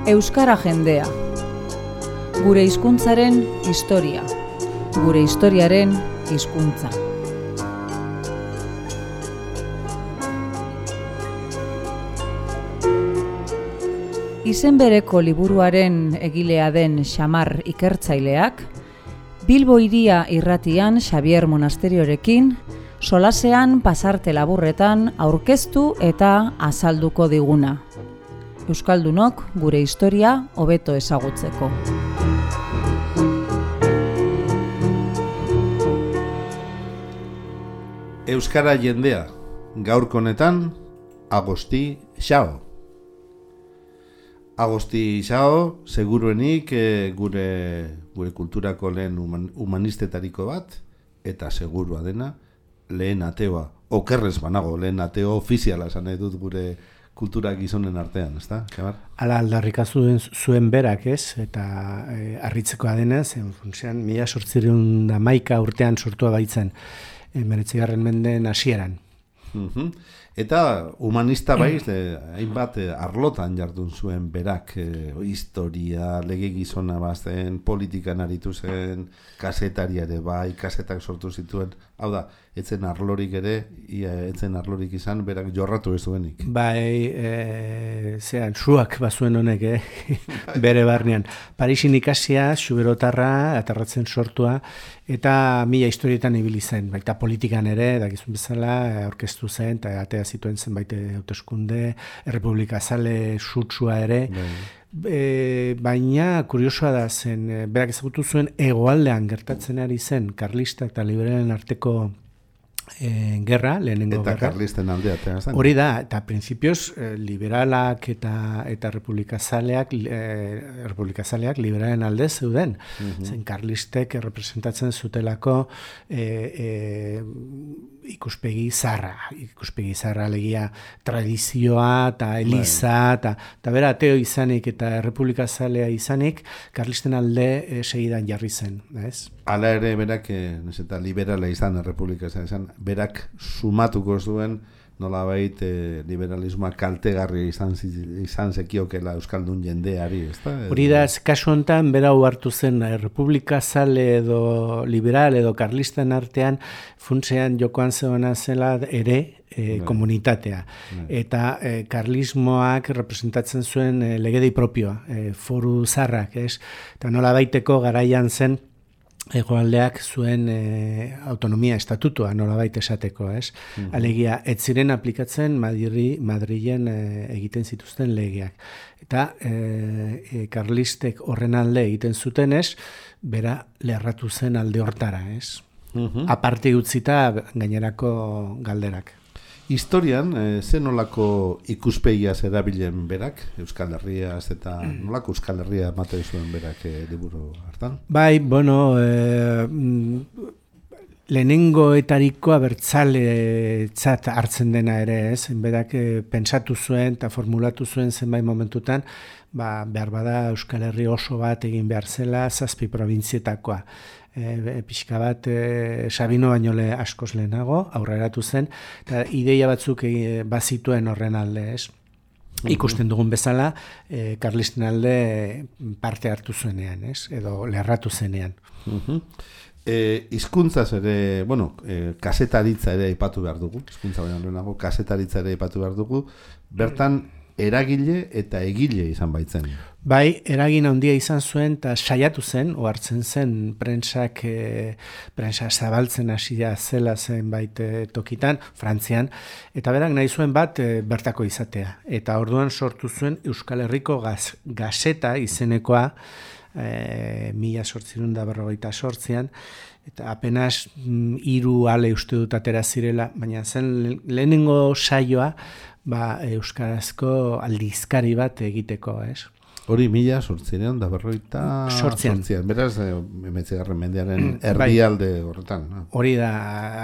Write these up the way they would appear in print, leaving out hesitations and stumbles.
Euskara jendea. Gure hizkuntzaren historia. Gure historiaren hizkuntza. Izen bereko liburuaren egilea den Xamar ikertzaileak, Bilbo Hiria irratian Xabier Monasteriorekin, solasean pasarte laburretan aurkeztu eta azalduko diguna. Euskaldunok gure historia hobeto ezagutzeko. Euskara jendea, gaurko honetan, Agosti Xao. Agosti Xao, seguruenik gure kulturako lehen humanistetariko bat, eta segurua dena, lehen ateoa, okerrez banago, lehen ateo ofiziala esan nahi dut gure kultura gizonen artean, ezta? Hala aldarrikazu zuen berak, ez? Eta harritzekoa denez, funtsean 1811 urtean sortua baitzen, 19. mendeen hasieran. Eta humanista baiz, hainbat arlotan jardun zuen berak, historia, lege gizona bazen, politikan aritu zen, kazetari ere bai, kasetak sortu zituen, hau da, etzen arlorik ere, etzen arlorik izan, berak jorratu ez duenik. Bai, suak bazuen honek, bere barnean. Parisin ikasia, xuberotarra, aterratzen sortua, eta mila historietan ibili zen, baita politikan ere, dakizun bezala, aurkeztu zen, eta atea zituen zenbait hauteskunde, Errepublika Zale sutsua ere, baina kuriosoa da zen, berak ezagutu zuen hegoaldean gertatzen ari zen, karlistak eta liberalen arteko gerra, lehenengo eta gerra. Karlisten aldea. Hori da, eta prinsipioz liberalak eta republikazaleak liberalen alde zeuden. Zen karlistek representatzen zutelako ikuspegi zarra legia tradizioa eta eliza, eta bera ateo izanik eta republikazalea izanik, karlisten alde segidan jarri zen, ez? Hala ere berak, eta liberala izan, errepublikazalea izan, berak sumatuko zuen nolabait liberalismoa kaltegarria izan zekiokela euskaldun jendeari, ezta? Hori da, kasu honetan, bera hartu zen republikazale edo liberal edo karlisten artean funtsean jokoan zegoena zela ere komunitatea. Eta karlismoak representatzen zuen legedei propioa, foru zarrak, ez? Eta nolabaiteko garaian zen hegoaldeak zuen autonomia estatutua nolabait esateko, ez? Alegia, ez ziren aplikatzen Madrilen egiten zituzten legeak. Eta karlistek horren alde egiten zuten, ez? Bera lerratu zen alde hortara, ez? Aparte utzita gainerako galderak. Historian, ze nolako ikuspegiaz erabilen berak, Euskal Herriaz eta nolako Euskal Herria ematen zuen berak liburu hartan? Bai, bueno, lehenengoetariko abertzaletzat hartzen dena ere, ez? Berak pentsatu zuen eta formulatu zuen zenbait momentutan, behar bada Euskal Herri oso bat egin behar zela 7 probintzietakoa. Pixka bat Sabino baino askoz lehenago, aurreratu zen, eta ideia batzuk bazituen horren alde, ez? Ikusten dugun bezala, karlisten alde parte hartu zuenean, ez? Edo lerratu zenean. Hizkuntzaz ere, kasetaritza ere aipatu behar dugu, hizkuntza baino lehenago, kasetaritza ere aipatu behar dugu, bertan eragile eta egile izan baitzen. Bai, eragin handia izan zuen eta saiatu zen, ohartzen zen prentsa zabaltzen hasia zela zenbait tokitan, Frantzian, eta berak nahi zuen bat bertako izatea. Eta orduan sortu zuen Euskal Herriko Gazeta izenekoa 1848an, eta apenas 3 ale uste dut atera zirela, baina zen lehenengo saioa euskarazko aldizkari bat egiteko, ez? Hori 1848. Beraz, 19. mendearen erdialde horretan. Hori da,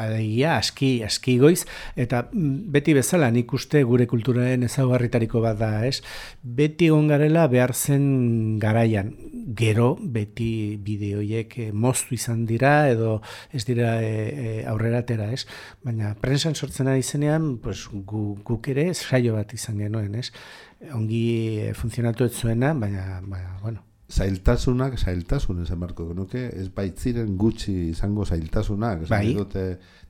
alegia, aski goiz, eta beti bezala nik uste gure kulturaren ezaugarritariko bat da, ez? Beti egon garela behar zen garaian. Gero, beti bideoiek moztu izan dira, edo ez dira aurrera atera, ez? Baina, prensan sortzen ari zenean, pues, guk ere saio bat izan genuen, ez? ongi funtzionatu ez zuena, baina bueno. Zailtasun esan beharko genuke, ez baitziren gutxi izango zailtasunak, esan dute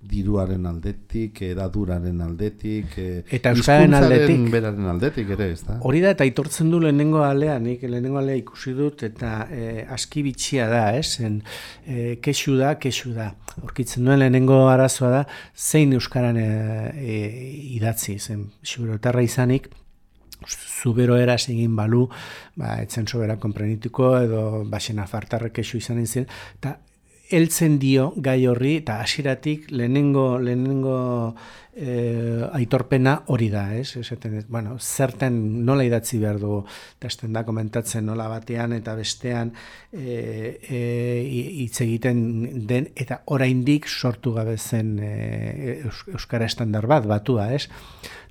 diruaren aldetik, edaduraren aldetik, eta euskararen aldetik, beraren aldetik ere, ez da? Hori da, eta aitortzen du lehenengo alea, nik lehenengo alea ikusi dut, eta aski bitxia da, kexu da. Aurkitzen duen lehenengo arazoa da, zein euskaran idatzi, zen xiberotarra izanik, zubero eraz egin balu, etzen sobera konprenituko edo baxena fartarrek kexu izan zen, eta heltzen dio gai horri, eta hasieratik lehenengo aitorpena hori da, esaten, bueno, zerten nola idatzi behar dugu, eta esten da komentatzen nola batean eta bestean hitz egiten den, eta oraindik sortu gabe zen euskara estandar bat, batua,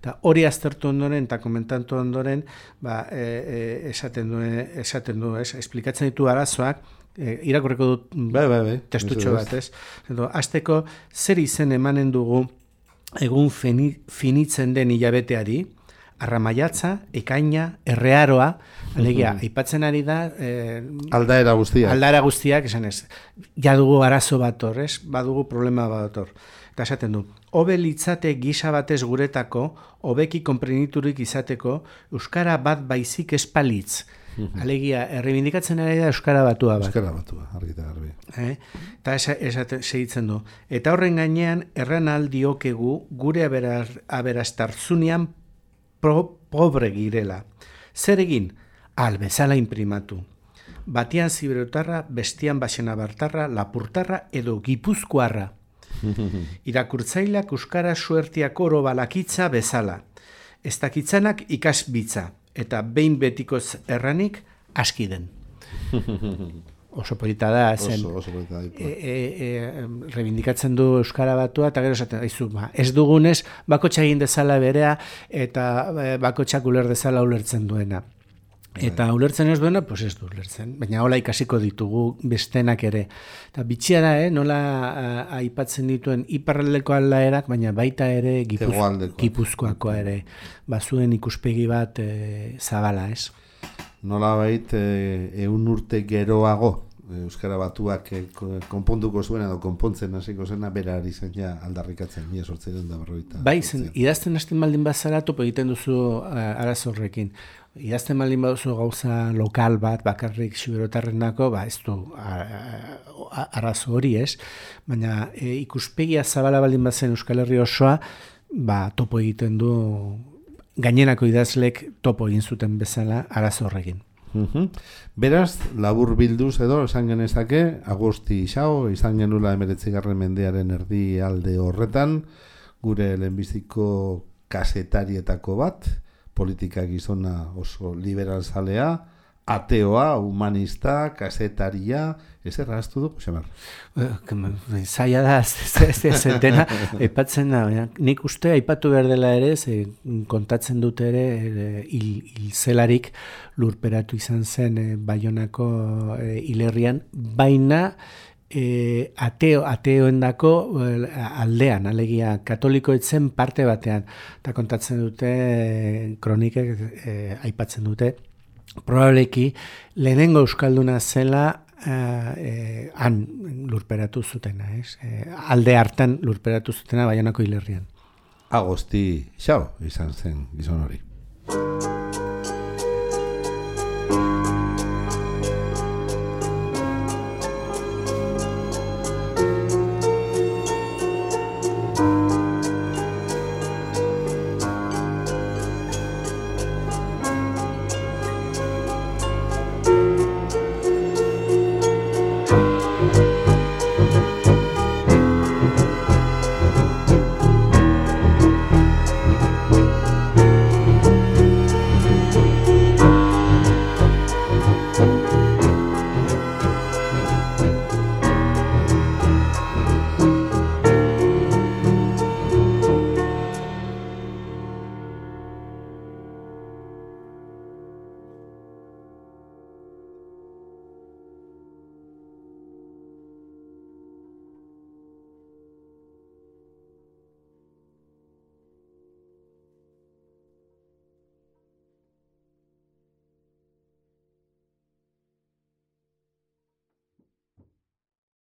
Eta hori aztertu ondoren eta komentatu ondoren, esaten du, esplikatzen ditu arazoak, irakurriko dut testutxo bat, Hasteko, zer izen emanen dugu egun finitzen den hilabeteari, arramaiatza, ekaina, errearoa, alegia, aipatzen ari da... aldaera guztiak, esan ez, ja dugu arazo bat hor, badugu problema bat hor. Eta esaten du, hobe litzate gisa batez guretako, hobeki konpreniturik izateko, euskara bat baizik espalitz. Alegia, errebindikatzen ari da euskara batua bat. Euskara batua, argita garbi. Eta segitzen du. Eta horren gainean, erran aldiokegu gure aberastartzunean pobre girela. Zer egin? Bezala imprimatu. Batian ziberotarra, bestian baxena bartarra, lapurtarra edo gipuzkoarra. Irakurtzaileak euskara suertiak oro balakitza bezala. Ez dakitzanak ikasbitza, eta behin betikoz erranik aski den. Oso polita da, zen. Oso polita da. Rebindikatzen du euskara batua, eta gero esaten daizu, ez dugunez, bakotxa egin dezala berea, eta bakotxak uler dezala ulertzen duena. Eta ulertzen ez duena, pues ez du ulertzen. Baina hola ikasiko ditugu bestenak ere. Eta bitxia da, nola aipatzen dituen iparraldeko aldaerak, baina baita ere gipuzkoakoa ere. Bazuen ikuspegi bat zabala, Nola bait, 100 urte geroago, euskara batuak konponduko zuen edo konpontzen hasiko zena, bera ari zen ja aldarrikatzen, 1840. Bai, zen, idazten hasten baldin bazara topo egiten duzu arazorrekin. Idazten baldin baduzu gauza lokal bat, bakarrik xiberotarrenako, ez du arazo hori, baina ikuspegia zabala baldin bazen Euskal Herri osoa, topo egiten du, gainerako idazlek topo egin zuten bezala arazo horrekin. Beraz, labur bilduz edo, esan genezake, Agosti Ixao, izan genula 19. mendearen erdi alde horretan, gure lehenbiziko kazetarietako bat, politika gizona oso liberalzalea, ateoa, humanista, kasetaria, ez erraztu du, Xamar? Zaila da, ez dena, aipatzen da, nik uste aipatu behar dela ere, kontatzen dut ere, hilzelarik lurperatu izan zen Baionako hilerrian, baina ateoendako aldean, alegia katoliko etzen parte batean, eta kontatzen dute, kronikek aipatzen dute, probableki lehenengo euskalduna zela han lurperatu zutena, alde hartan lurperatu zutena Baionako hilerrian. Agosti Ixao izan zen gizon hori.